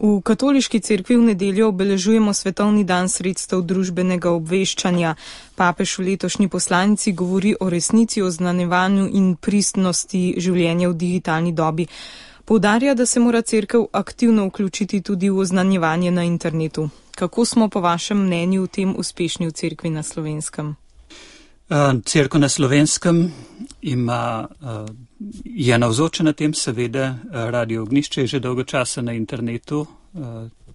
V katoliški cerkvi v nedeljo obeležujemo svetovni dan sredstev družbenega obveščanja. Papež v letošnji poslanici govori o resnici, oznanjevanju in pristnosti življenja v digitalni dobi. Poudarja, da se mora cerkev aktivno vključiti tudi v oznanjevanje na internetu. Kako smo po vašem mnenju v tem uspešni v cerkvi na Slovenskem? Cerkev na Slovenskem je navzoča na tem, seveda, Radio Ognjišče je že dolgo časa na internetu.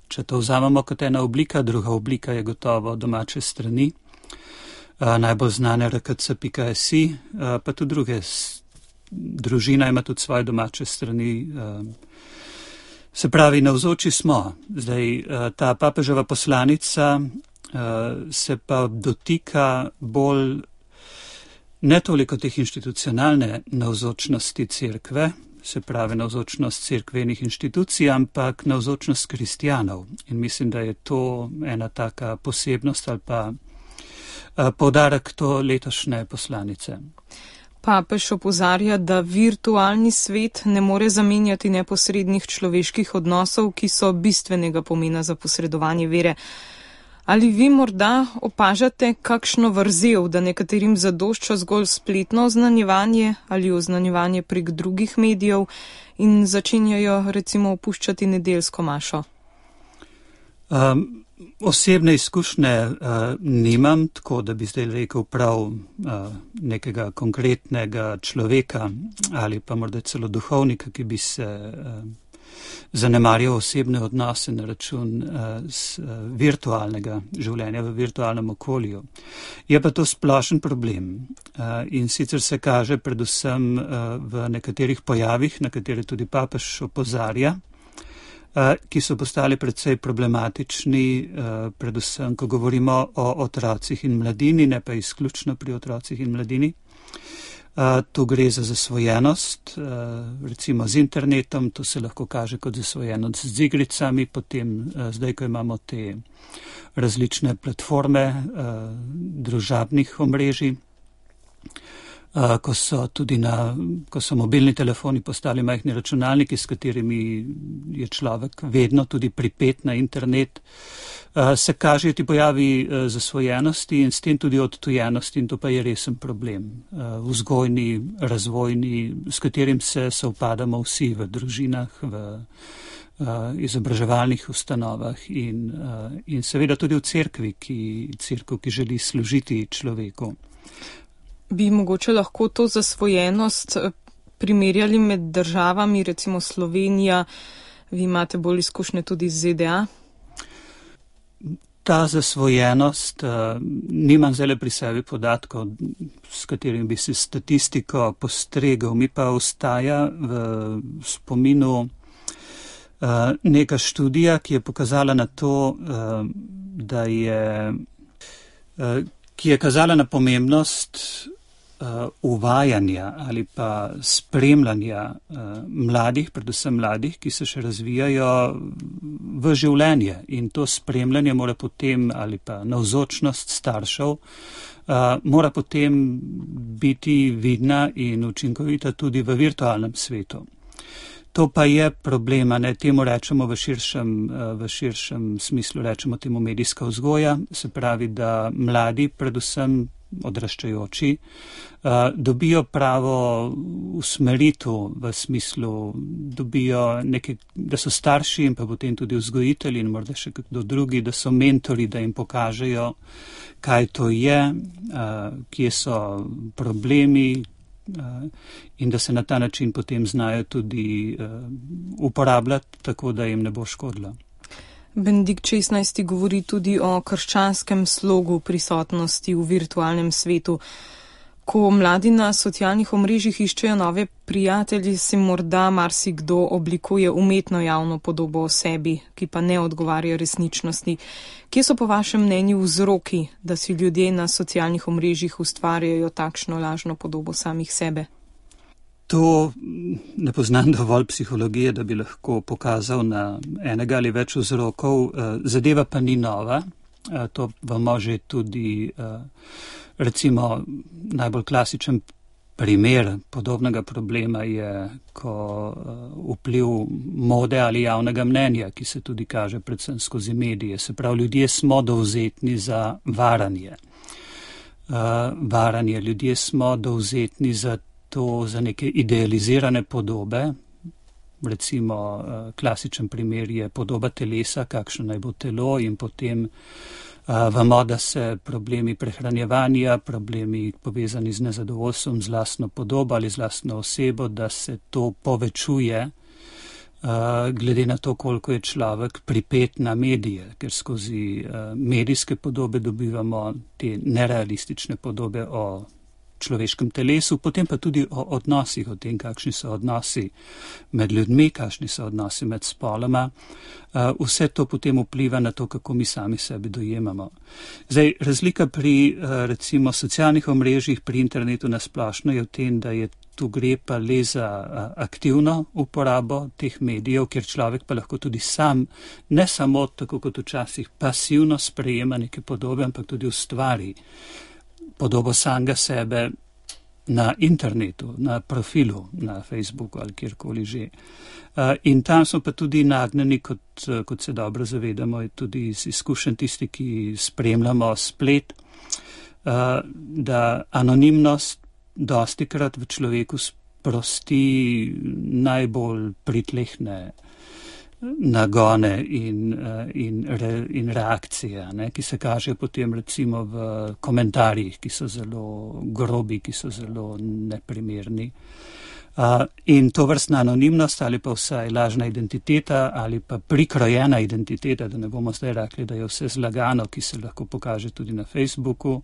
Če to vzamemo kot ena oblika, druga oblika je gotovo domače strani. Najbolj znane rkc.si, pa tudi druge. Družina ima tudi svoje domače strani. Se pravi, navzoči smo. Zdaj, ta papeževa poslanica se pa dotika bolj ne toliko teh institucionalne navzočnosti cerkve, se pravi navzočnost cerkvenih inštitucij, ampak navzočnost kristjanov. In mislim, da je to ena taka posebnost ali pa poudarek to letošnje poslanice. Papež opozarja, da virtualni svet ne more zamenjati neposrednih človeških odnosov, ki so bistvenega pomena za posredovanje vere. Ali vi morda opažate kakšno vrzel, da nekaterim zadošča zgolj spletno oznanjevanje ali oznanjevanje prek drugih medijev in začenjajo recimo opuščati nedeljsko mašo? Osebne izkušnje nimam, tako da bi zdaj rekel prav nekega konkretnega človeka ali pa morda celo duhovnika, ki bi se zanemarjal osebne odnose na račun virtualnega življenja v virtualnem okolju. Je pa to splošen problem in sicer se kaže predvsem v nekaterih pojavih, na katere tudi papež opozarja, ki so postali precej problematični, predvsem, ko govorimo o otrocih in mladini, ne pa izključno pri otrocih in mladini. Tu gre za zasvojenost, recimo z internetom, to se lahko kaže kot zasvojenost z igricami, potem zdaj, ko imamo te različne platforme družabnih omrežij, ko so mobilni telefoni postali majhni računalniki, s katerimi je človek vedno tudi pripet na internet, se kažejo ti pojavi zasvojenosti in s tem tudi odtujenosti, in to pa je resen problem. Vzgojni, razvojni, s katerim se sovpadamo vsi v družinah, v izobraževalnih ustanovah in seveda tudi v cerkvi, ki želi služiti človeku. Bi mogoče lahko to zasvojenost primerjali med državami, recimo Slovenija, vi imate bolj izkušnje tudi z ZDA? Ta zasvojenost, nimam zdaj pri sebi podatkov, s katerim bi se statistiko postregel, mi pa ostaja v spominu neka študija, ki je pokazala na to, ki je kazala na pomembnost uvajanja ali pa spremljanja mladih, predvsem mladih, ki se še razvijajo v življenje, in to spremljanje mora potem, ali pa navzočnost staršev, mora potem biti vidna in učinkovita tudi v virtualnem svetu. To pa je problema, ne, temu rečemo v širšem smislu, rečemo temu medijska vzgoja, se pravi, da mladi, predvsem odraščajoči, dobijo pravo usmeritev v smislu, dobijo da so starši in pa potem tudi vzgojitelji in morda še kdo drugi, da so mentori, da jim pokažejo, kaj to je, kje so problemi, in da se na ta način potem znajo tudi uporabljati, tako da jim ne bo škodilo. Benedikt XVI. Govori tudi o krščanskem slogu prisotnosti v virtualnem svetu. Ko mladi na socialnih omrežjih iščejo nove prijatelje, si morda marsikdo oblikuje umetno javno podobo o sebi, ki pa ne odgovarja resničnosti. Kje so po vašem mnenju vzroki, da si ljudje na socialnih omrežjih ustvarjajo takšno lažno podobo samih sebe? To ne poznam dovolj psihologije, da bi lahko pokazal na enega ali več vzrokov. Zadeva pa ni nova. To vemo že tudi, recimo, najbolj klasičen primer podobnega problema je, ko vpliv mode ali javnega mnenja, ki se tudi kaže predvsem skozi medije. Se pravi, ljudje smo dovzetni za varanje. Ljudje smo dovzetni za to, za neke idealizirane podobe. Recimo, klasičen primer je podoba telesa, kakšno naj bo telo, in potem vemo, da se problemi prehranjevanja, problemi povezani z nezadovoljstvom z lastno podobo ali z lastno osebo, da se to povečuje glede na to, koliko je človek pripet na medije, ker skozi medijske podobe dobivamo te nerealistične podobe o človeškem telesu, potem pa tudi o odnosih, o tem, kakšni so odnosi med ljudmi, kakšni so odnosi med spoloma. Vse to potem vpliva na to, kako mi sami sebi dojemamo. Zdaj, razlika pri recimo socialnih omrežjih, pri internetu nasplošno je v tem, da je tu gre pa le za aktivno uporabo teh medijev, kjer človek pa lahko tudi sam, ne samo tako kot včasih pasivno sprejema neke podobe, ampak tudi ustvari podobo samega sebe na internetu, na profilu, na Facebooku ali kjerkoli že. In tam smo pa tudi nagnjeni, kot se dobro zavedamo, je tudi iz izkušenj tisti, ki spremljamo splet, da anonimnost dostikrat v človeku sprosti najbolj pritlehne nagone in reakcije, ne, ki se kažejo potem recimo v komentarjih, ki so zelo grobi, ki so zelo neprimerni. In to vrstna anonimnost ali pa vsaj lažna identiteta ali pa prikrojena identiteta, da ne bomo zdaj rekli, da je vse zlagano, ki se lahko pokaže tudi na Facebooku,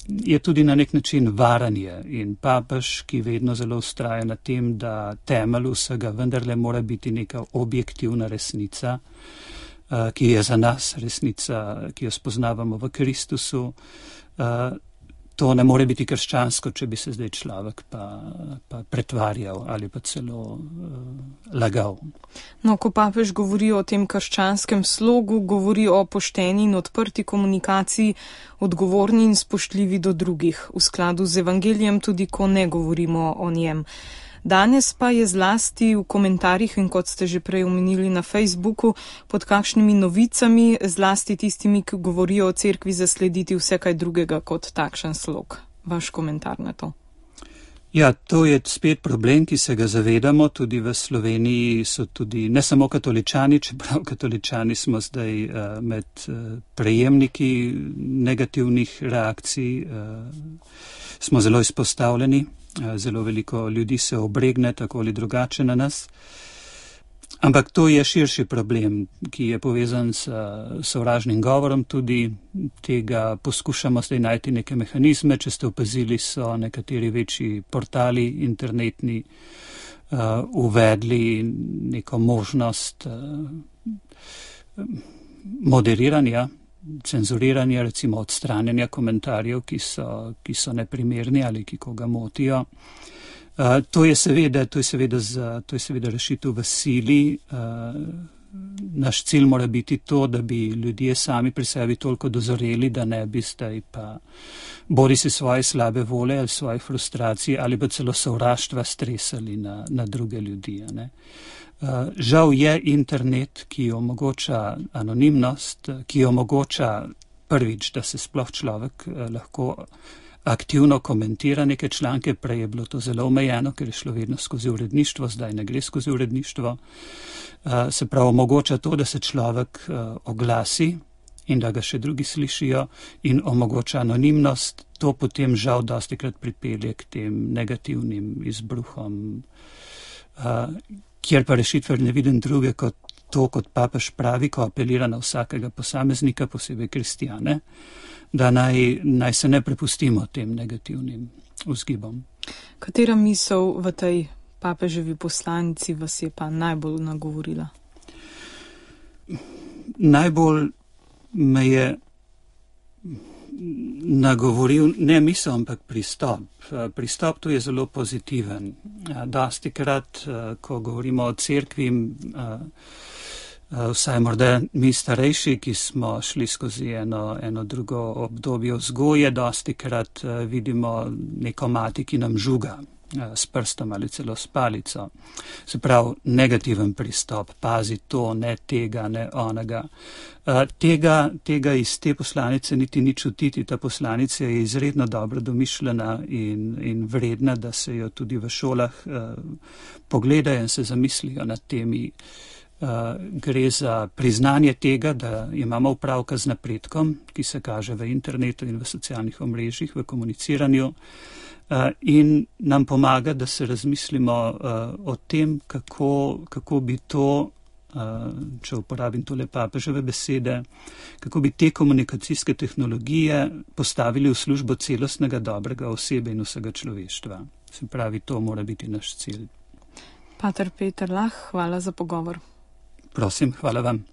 je tudi na nek način varanje. In papež, ki vedno zelo vztraja na tem, da temelj vsega vendarle mora biti neka objektivna resnica, ki je za nas resnica, ki jo spoznavamo v Kristusu. To ne more biti krščansko, če bi se zdaj človek pa pretvarjal ali pa celo lagal. No, ko papež govori o tem krščanskem slogu, govori o pošteni in odprti komunikaciji, odgovorni in spoštljivi do drugih, v skladu z evangelijem tudi, ko ne govorimo o njem. Danes pa je zlasti v komentarjih in kot ste že prej omenili na Facebooku, pod kakšnimi novicami, zlasti tistimi, ki govorijo o cerkvi, zaslediti vse kaj drugega kot takšen slog. Vaš komentar na to? Ja, to je spet problem, ki se ga zavedamo. Tudi v Sloveniji so tudi ne samo katoličani, čeprav katoličani smo zdaj med prejemniki negativnih reakcij, smo zelo izpostavljeni. Zelo veliko ljudi se obregne tako ali drugače na nas. Ampak to je širši problem, ki je povezan s sovražnim govorom. Tudi tega poskušamo zdaj najti neke mehanizme. Če ste opazili, so nekateri večji portali internetni uvedli neko možnost moderiranja, cenzuriranja, recimo odstranjanja komentarjev, ki so neprimerni ali ki koga motijo. To je seveda rešitev v sili. Naš cilj mora biti to, da bi ljudje sami pri sebi toliko dozoreli, da ne bi zdaj pa bodi se svoje slabe vole ali svoje frustracije ali pa celo sovraštva stresali na druge ljudi. Ne? Žal je internet, ki omogoča anonimnost, ki omogoča prvič, da se sploh človek lahko aktivno komentira neke članke. Prej je bilo to zelo omejeno, ker je šlo vedno skozi uredništvo, zdaj ne gre skozi uredništvo. Se pravi, omogoča to, da se človek oglasi in da ga še drugi slišijo, in omogoča anonimnost. To potem žal dostikrat pripelje k tem negativnim izbruhom, kjer pa rešitve ne vidim druge kot to, kot papež pravi, ko apelira na vsakega posameznika, posebej kristjane, da naj se ne prepustimo tem negativnim vzgibom. Katera misel v tej papeževi poslanici vas je pa najbolj nagovorila? Najbolj me je nagovoril ne misel, ampak pristop. Pristop tu je zelo pozitiven. Dostikrat, ko govorimo o cerkvi, vsaj morda mi starejši, ki smo šli skozi eno drugo obdobje vzgoje, dosti krat vidimo neko mati, ki nam žuga s prstom ali celo s palico. Se pravi, negativen pristop, pazi to, ne tega, ne onega. Tega iz te poslanice niti ni čutiti. Ta poslanica je izredno dobro domišljena in vredna, da se jo tudi v šolah pogledajo in se zamislijo nad temi. Gre za priznanje tega, da imamo opravka z napredkom, ki se kaže v internetu in v socialnih omrežjih, v komuniciranju, in nam pomaga, da se razmislimo o tem, kako bi to, če uporabim tole papeževe besede, kako bi te komunikacijske tehnologije postavili v službo celostnega dobrega osebe in vsega človeštva. Se pravi, to mora biti naš cilj. Pater Peter Lah, hvala za pogovor. Prosim, hvala vam.